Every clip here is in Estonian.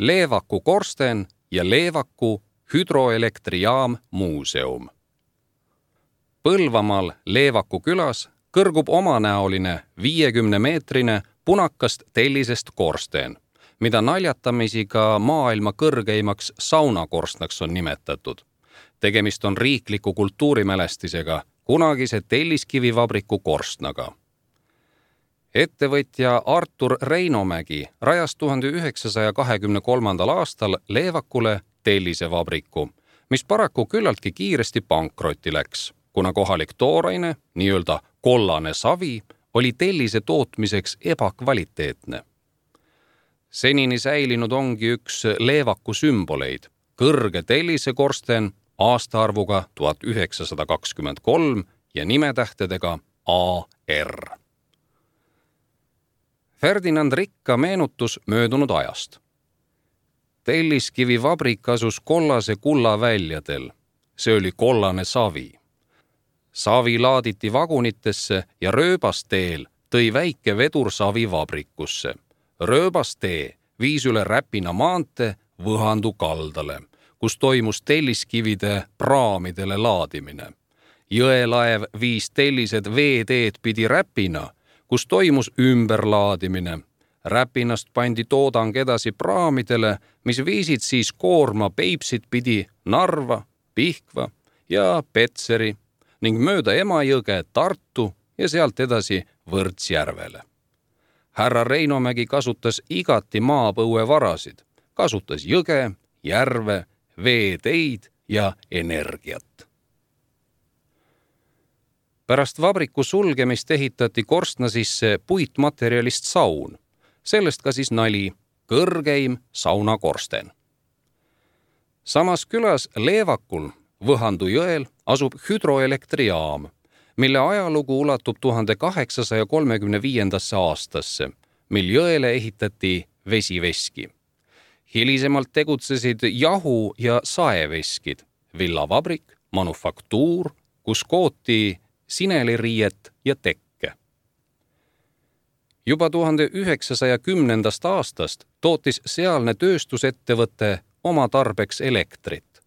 Leevaku korsten ja Leevaku hüdroelektrijaam muuseum. Põlvamaal Leevaku külas kõrgub omanäoline 50-meetrine punakast tellisest korsteen, mida naljatamisi ka maailma kõrgeimaks saunakorstnaks on nimetatud. Tegemist on riikliku kultuurimälestisega, kunagise telliskivivabriku korstnaga. Ettevõtja Artur Reinomägi rajas 1923. aastal Leevakule tellisevabriku, mis paraku küllaltki kiiresti pankrotti läks, kuna kohalik tooraine, nii-öelda kollane savi, oli tellise tootmiseks ebakvaliteetne. Senini säilinud ongi üks Leevaku sümboleid, kõrge tellisekorsten aastaarvuga 1923 ja nimetähtedega AR. Ferdinand Rikka meenutus möödunud ajast. Telliskivivabrik asus kollase kulla väljadel. See oli kollane savi. Savi laaditi vagunitesse ja rööbasteel tõi väike vedur savi vabrikusse. Rööbastee viis üle Räpina maantee Võhandu kaldale, kus toimus telliskivide praamidele laadimine. Jõelaev viis tellised veeteed pidi Räpina, kus toimus ümberlaadimine. Räpinast pandi toodang edasi praamidele, mis viisid siis koorma Peipsit pidi Narva, Pihkva ja Petseri ning mööda Emajõge Tartu ja sealt edasi Võrtsjärvele. Härra Reinomägi kasutas igati maapõuevarasid, kasutas jõge, järve, veeteid ja energiat. Pärast vabriku sulgemist ehitati korstna sisse puitmaterjalist saun. Sellest ka siis nali, kõrgeim saunakorsten. Samas külas Leevakul Võhandu jõel asub hüdroelektrijaam, mille ajalugu ulatub 1835. aastasse, mil jõele ehitati vesiveski. Hilisemalt tegutsesid jahu- ja saeveskid, villavabrik, manufaktuur, kus kooti sineliriiet ja tekke. Juba 1910. aastast tootis sealne tööstusettevõte oma tarbeks elektrit.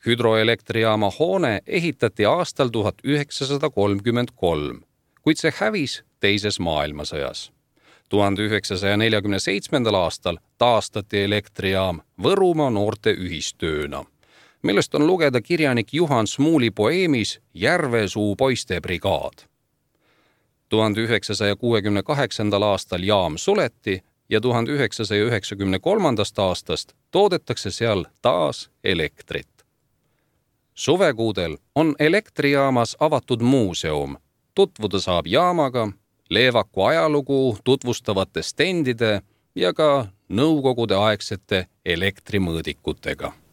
Hüdroelektrijaama hoone ehitati aastal 1933, kuid see hävis teises maailmasõjas. 1947. aastal taastati elektrijaam Võrumaa noorte ühistööna, millest on lugeda kirjanik Juhan Smuuli poeemis Järvesuu poiste brigaad. 1968. aastal jaam suleti ja 1993. aastast toodetakse seal taas elektrit. Suvekuudel on elektrijaamas avatud muuseum. Tutvuda saab jaamaga, Leevaku ajalugu tutvustavate stendide ja ka nõukogude aegsete elektrimõõdikutega.